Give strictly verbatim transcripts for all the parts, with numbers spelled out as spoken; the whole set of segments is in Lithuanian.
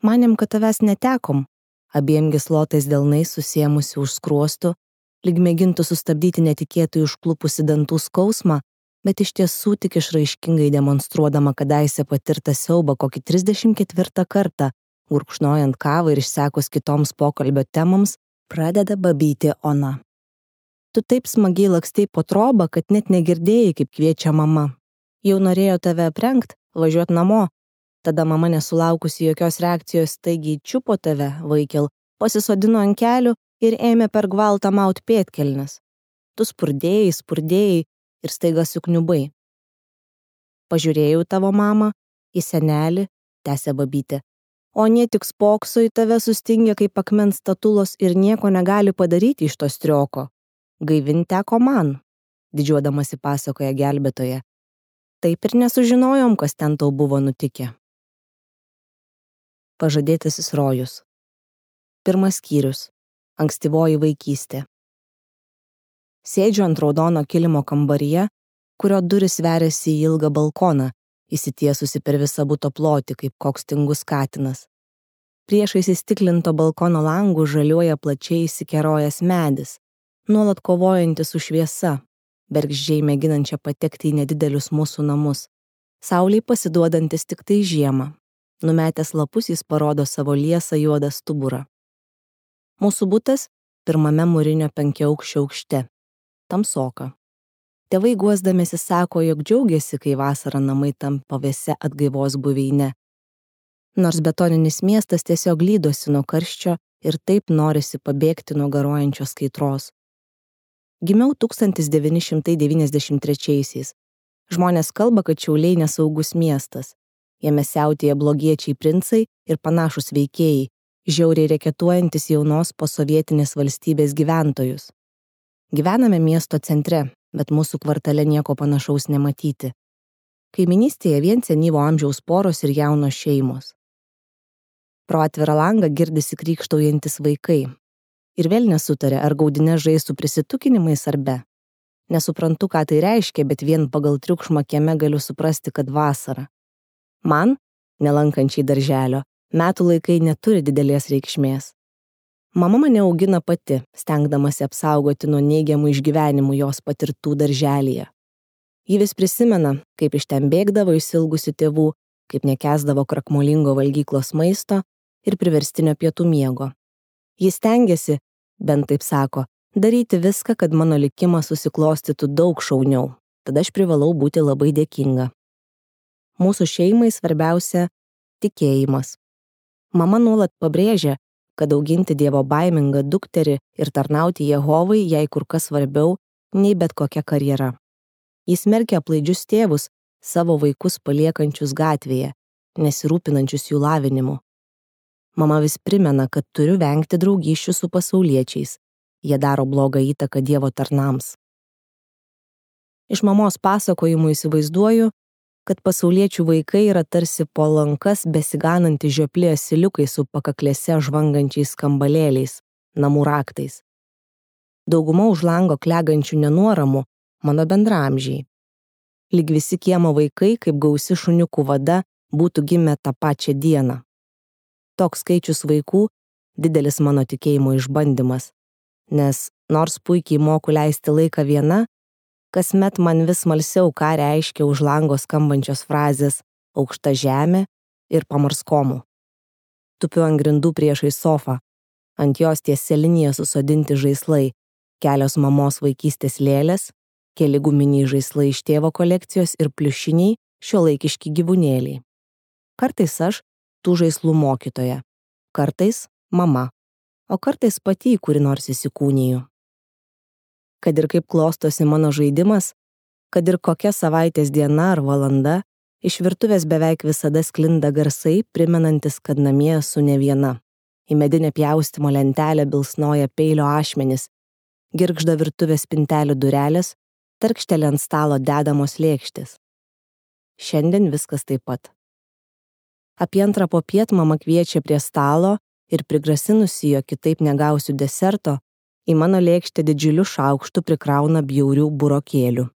Manėm, kad tavęs netekom. Abiem gyslotais delnais susiemusi už skruostų, lyg mėgintų sustabdyti netikėtai užklupusi dantų skausmą, bet iš tiesų tik išraiškingai demonstruodama kadaise patirtą siaubą kokį trisdešimt ketvirtą kartą, gurkšnojant kavą ir išsekus kitoms pokalbio temoms, pradeda babyti Ona. Tu taip smagiai lakstei po trobą, kad net negirdėjai, kaip kviečia mama. Jau norėjo tave aprengt, važiuot namo. Tada mama nesulaukusi jokios reakcijos staigiai čiupo tave, vaikel, pasisodino ant kelių ir ėmė per gvaltą maut pėdkelnes. Tu spurdėjai, spurdėjai ir staiga sukniubai. Pažiūrėjau tavo mamą, į senelį, tęsė babytė. O nie tik spokso į tave sustingę kaip akmens statulos ir nieko negali padaryti iš to strioko. Gaivint teko man, didžiuodamasi pasakoja gelbėtoja. Taip ir nesužinojom, kas ten tau buvo nutikę. Pažadėtasis rojus. Pirmas skyrius. Ankstyvoji vaikystė. Sėdžiu ant raudono kilimo kambaryje, kurio durys veriasi į ilgą balkoną, įsitiesusi per visą buto plotį, kaip koks tingus katinas. Priešais įstiklinto balkono langų žaliuoja plačiai įsikerojęs medis, nuolat kovojantis su šviesa, bergždžiai mėginančia patekti į nedidelius mūsų namus, saulei pasiduodantis tik tai žiemą. Numetęs lapus jis parodo savo liesą juodą stuburą. Mūsų butas pirmame mūrinio penkiaaukščio aukšte. Tamsoka. Tėvai guosdamiesi sako, jog džiaugiasi, kai vasarą namai tampa vėsia atgaivos buveine. Nors betoninis miestas tiesiog lydosi nuo karščio ir taip norisi pabėgti nuo garuojančios kaitros. Gimiau tūkstantis devyni šimtai devyniasdešimt trečiaisiais. Žmonės kalba, kad Šiauliai nesaugus miestas. Jame siautėja blogiečiai princai ir panašus veikėjai, žiauriai reketuojantis jaunos posovietinės valstybės gyventojus. Gyvename miesto centre, bet mūsų kvartale nieko panašaus nematyti. Kaiminystėje vien senyvo amžiaus poros ir jaunos šeimos. Pro atvirą langą girdisi krykštaujantis vaikai. Ir vėl nesutarė, ar gaudinė žais su prisitukinimais ar be. Nesuprantu, ką tai reiškia, bet vien pagal triukšmą kieme galiu suprasti, kad vasara. Man, nelankančiai darželio, metų laikai neturi didelės reikšmės. Mama mane augina pati, stengdamasi apsaugoti nuo neigiamų išgyvenimų jos patirtų darželyje. Ji vis prisimena, kaip iš ten bėgdavo išsilgusių tėvų, kaip nekęsdavo krakmolingo valgyklos maisto ir priverstinio pietų miego. Ji stengiasi, bent taip sako, daryti viską, kad mano likimas susiklostytų daug šauniau. Tada aš privalau būti labai dėkinga. Mūsų šeimai svarbiausia tikėjimas. Mama nuolat pabrėžia, kad auginti dievo baimingą dukterį ir tarnauti Jehovai jai kur kas svarbiau nei bet kokia karjera. Jis smerkia aplaidžius tėvus, savo vaikus paliekančius gatvėje, nesirūpinančius jų lavinimu. Mama vis primena, kad turiu vengti draugysčių su pasauliečiais. Jie daro blogą įtaką dievo tarnams. Iš mamos pasakojimų įsivaizduoju, kad pasauliečių vaikai yra tarsi po lankas besigananti žioplė asiliukai su pakaklėse žvangančiais kambalėliais, namų raktais. Dauguma už lango klegančių nenuoramų mano bendraamžiai. Lyg visi kiemo vaikai, kaip gausi šuniukų vada, būtų gimę tą pačią dieną. Toks skaičius vaikų didelis mano tikėjimo išbandymas, nes nors puikiai moku leisti laiką viena, kasmet man vis smalsiau, ką reiškia už lango skambančios frazės aukšta žemė ir pamarskomų. Tupiu ant grindų priešais sofą, ant jos tiesia linija susodinti žaislai, kelios mamos vaikystės lėlės, keli guminiai žaislai iš tėvo kolekcijos ir pliušiniai šiuolaikiški gyvūnėliai. Kartais aš tų žaislų mokytoja, kartais mama, o kartais pati į kuri nors įsikūniju. Kad ir kaip klostosi mano žaidimas, kad ir kokia savaitės diena ar valanda, iš virtuvės beveik visada sklinda garsai, primenantis, kad namie esu ne viena. Į medinę pjaustymo lentelę bilsnoja peilio ašmenys, girgžda virtuvės spintelių durelės, tarkštelė ant stalo dedamos lėkštės. Šiandien viskas taip pat. Apie antrą popiet mama kviečia prie stalo ir prigrasinusi, jog kitaip negausiu deserto, į mano lėkštę didžiuliu šaukštu prikrauna bjaurių burokėlių.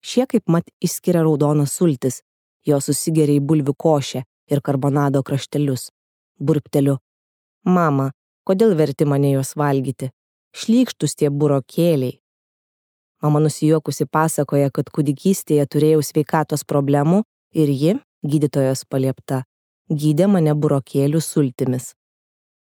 Šie kaip mat išskiria raudonas sultis, jo susigeria į bulvių košę ir karbonado kraštelius. Burpteliu. Mama, kodėl verti mane juos valgyti? Šlykštus tie burokėliai. Mama nusijuokusi pasakoja, kad kūdikystėje turėjau sveikatos problemų ir ji, gydytojos paliepta, gydė mane burokėlių sultimis.